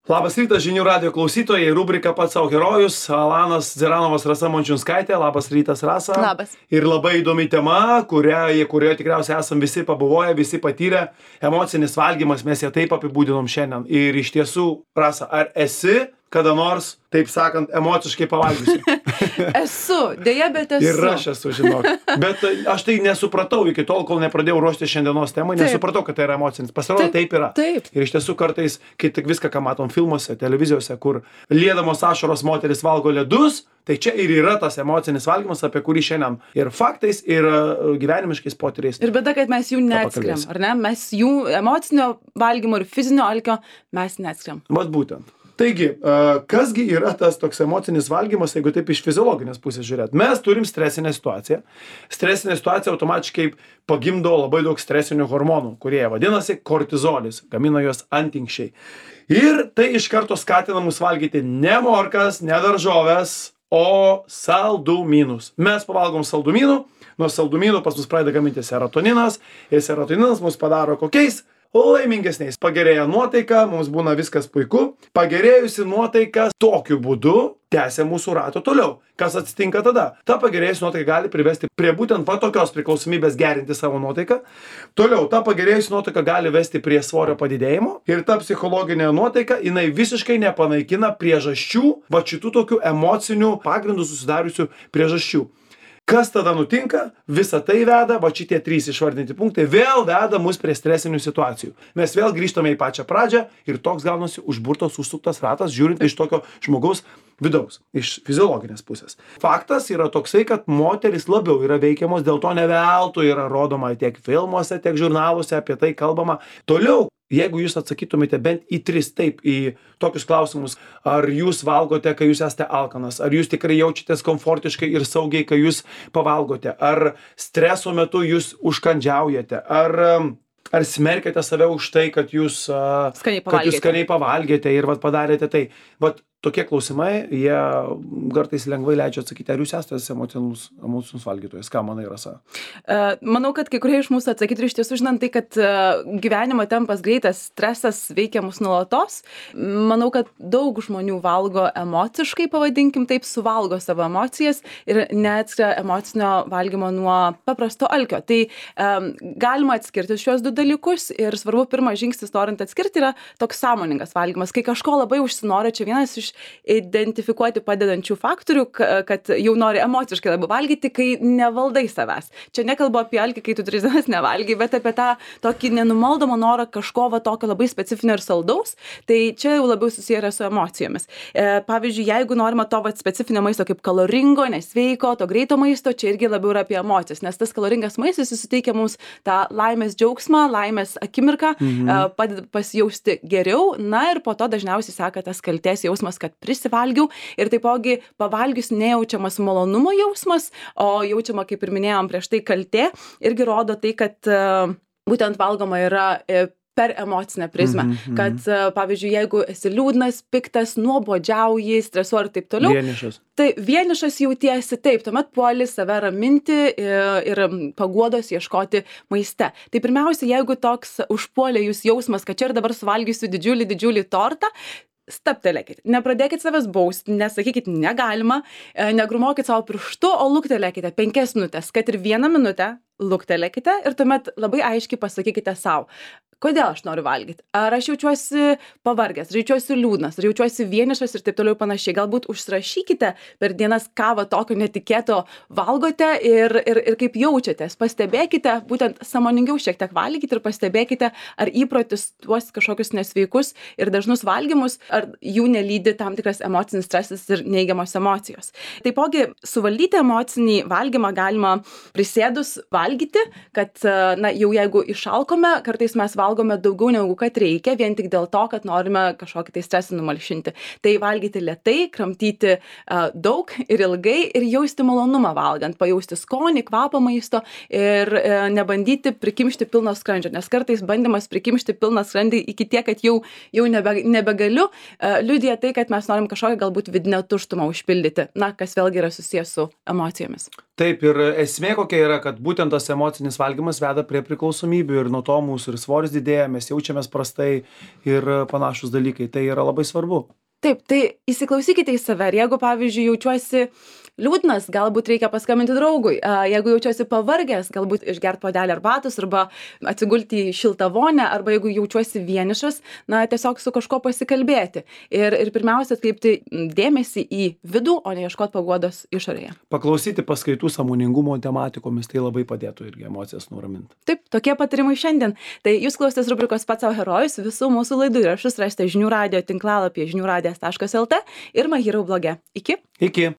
Labas rytas, žinių radijo klausytojai, rubrika Pats savo herojus, Alanas Dzeranovas, Rasa Mončiunskaitė. Labas rytas, Rasa. Labas. Ir labai įdomi tema, kurioje tikriausiai esam visi pabuvoję, visi patyrę. Emocinis valgymas, mes ją taip apibūdinom šiandien. Ir iš tiesų, Rasa, ar esi kada nors, taip sakant, emociškai pavalgiusi? Esu, dėja, bet esu. Ir aš esu, žinok. Bet aš tai nesupratau iki tol, kol nepradėjau ruošti šiandienos temą, nesupratau, kad tai yra emocinis. Pasirodo, taip yra. Taip. Ir iš tiesų kartais, kai tik viską, ką matom filmuose, televizijose, kur liedamos ašaros moteris valgo ledus, tai čia ir yra tas emocinis valgymas, apie kurį šiandien ir faktais, ir gyvenimiškais potyriais. Ir bėda, kad mes jų neatskiriam, ar ne? Mes jų emocinio valgymo ir fizinio alkio mes neatskiriam. Vat būtent. Taigi, kasgi yra tas toks emocinis valgymas, jeigu taip iš fiziologinės pusės žiūrėt? Mes turim stresinę situaciją. Stresinė situacija automatiškai pagimdo labai daug stresinių hormonų, kurie vadinasi kortizolis, gamina juos antinkščiai. Ir tai iš karto skatina mus valgyti ne morkas, ne daržoves, o saldumynus. Mes pavalgom saldumynų, nuo saldumynų pas mus pradeda gaminti serotoninas, ir serotoninas mus padaro kokiais? Laimingesniais. Pagerėja nuotaika, mums būna viskas puiku. Pagerėjusi nuotaika tokiu būdu tęsia mūsų rato toliau. Kas atsitinka tada? Ta pagerėjusi nuotaika gali privesti prie būtent tokios priklausomybės gerinti savo nuotaiką. Toliau, ta pagerėjusi nuotaika gali vesti prie svorio padidėjimo. Ir ta psichologinė nuotaika, jinai visiškai nepanaikina priežasčių, va šitų tokių emocinių pagrindų susidariusių priežasčių. Kas tada nutinka? Visa tai veda, va šitie 3 išvardinti punktai, vėl veda mus prie stresinių situacijų. Mes vėl grįžtame į pačią pradžią ir toks gaunasi užburtos, užsuktas ratas, žiūrint iš tokio žmogaus vidaus, iš fiziologinės pusės. Faktas yra toksai, kad moterys labiau yra veikiamos, dėl to ne veltui yra rodoma tiek filmuose, tiek žurnaluose, apie tai kalbama. Toliau, jeigu jūs atsakytumėte bent į 3 taip, į tokius klausimus, ar jūs valgote, kai jūs esate alkanas, ar jūs tikrai jaučiatės komfortiškai ir saugiai, kai jūs pavalgote, ar streso metu jūs užkandžiaujate, ar smerkiate save už tai, kad jūs skaniai pavalgėte ir padarėte tai. Tokie klausimai, jie kartais lengvai leidžia atsakyti, ar jūs esate emocinus valgytojas, ką manai, Rasa? Manau, kad kai kurie iš mūsų atsakytų iš tiesų, žinant tai, kad gyvenimo tempas greitas, stresas veikia mus nuolatos. Manau, kad daug žmonių valgo emociškai, pavadinkim taip, suvalgo savo emocijas ir neatskiria emocinio valgymo nuo paprasto alkio. Tai galima atskirti šios 2 dalykus ir svarbu, pirmas žingsnis norint atskirti yra toks sąmoningas valgymas. Kai kažko labai užsinori, čia vienas iš identifikuoti padedančių faktorių, kad jau nori emociškai labiau valgyti, kai nevaldai savęs. Čia nekalbu apie alkį, kai tu 3 dienas nevalgai, bet apie tą tokį nenumaldomą norą kažko tokio labai specifinio ir saldaus, tai čia jau labiau susiję yra su emocijomis. Pavyzdžiui, jeigu norima to specifinio maisto kaip kaloringo, nesveiko, to greito maisto, čia irgi labiau yra apie emocijas, nes tas kaloringas maistas suteikia mums tą laimės džiaugsmą, laimės akimirką, padeda pasijausti geriau, na ir po to dažniausiai seka tas kaltės jausmas, kad prisivalgiau ir taipogi pavalgius nejaučiamas malonumo jausmas, o jaučiama, kaip ir minėjom prieš tai, kaltė, irgi rodo tai, kad būtent valgoma yra per emocinę prizmę, kad pavyzdžiui, jeigu esi liūdnas, piktas, nuobodžiauji, stresuoji ir taip toliau. Tai vienišas jautiesi taip, tuomet puoli save raminti ir paguodos ieškoti maiste. Tai pirmiausia, jeigu toks užpuolė jūs jausmas, kad čia ir dabar suvalgysiu didžiulį tortą, staptelėkit, nepradėkit savęs bausti, nesakykit negalima, negrumokit savo pirštu, o luktelėkite 5 minutės, kad ir 1 minutę luktelėkite ir tuomet labai aiškiai pasakykite savo. Kodėl aš noriu valgyti? Ar aš jaučiuosi pavargęs, ar jaučiuosi liūdnas, ar jaučiuosi vienišas ir taip toliau panašiai. Galbūt užsirašykite per dienas, ką tokio netikėto valgote ir kaip jaučiatės. Pastebėkite, būtent sąmoningiau šiek tiek valgykite ir pastebėkite, ar įprotis tuos kažkokius nesveikus ir dažnus valgymus, ar jų nelydi tam tikras emocinis stresas ir neigiamos emocijos. Taipogi, suvaldyti emocinį valgymą galima prisėdus valgyti, kad jau jeigu išalkome, kartais mes valgome daugiau negu kad reikia, vien tik dėl to, kad norime kažkokį tai stresą numalšinti. Tai valgyti lėtai, kramtyti daug ir ilgai ir jausti malonumą valgant, pajausti skonį, kvapą maisto ir nebandyti prikimšti pilno skrandžio, nes kartais bandymas prikimšti pilną skrandį iki tiek, kad jau nebegaliu, liudija tai, kad mes norim kažkokią galbūt vidinę tuštumą užpildyti, kas vėlgi yra susijęs su emocijomis. Taip, ir esmė kokia yra, kad būtent tas emocinis valgymas veda prie priklausomybių ir nuo to mūsų ir svoris didėja, mes jaučiamės prastai ir panašus dalykai. Tai yra labai svarbu. Taip, tai įsiklausykite į save. Ir jeigu, pavyzdžiui, jaučiuosi liūdnas, galbūt reikia paskambinti draugui. Jeigu jaučiuosi pavargęs, galbūt išgerti puodelį arbatos arba atsigulti į šiltą vonę, arba jeigu jaučiuosi vienišas, na, tiesiog su kažkuo pasikalbėti. Ir pirmiausia, atkreipti dėmesį į vidų, o ne ieškoti paguodos išorėje. Paklausyti paskaitų sąmoningumo tematikomis, tai labai padėtų irgi emocijas nuraminti. Taip, tokie patarimai šiandien. Tai jūs klausėtės rubrikos Pats savo herojus. Visų mūsų laidų įrašus rasite žinių radijo tinklalapyje žiniųradijas.lt ir Mahirau bloge. Iki. Iki.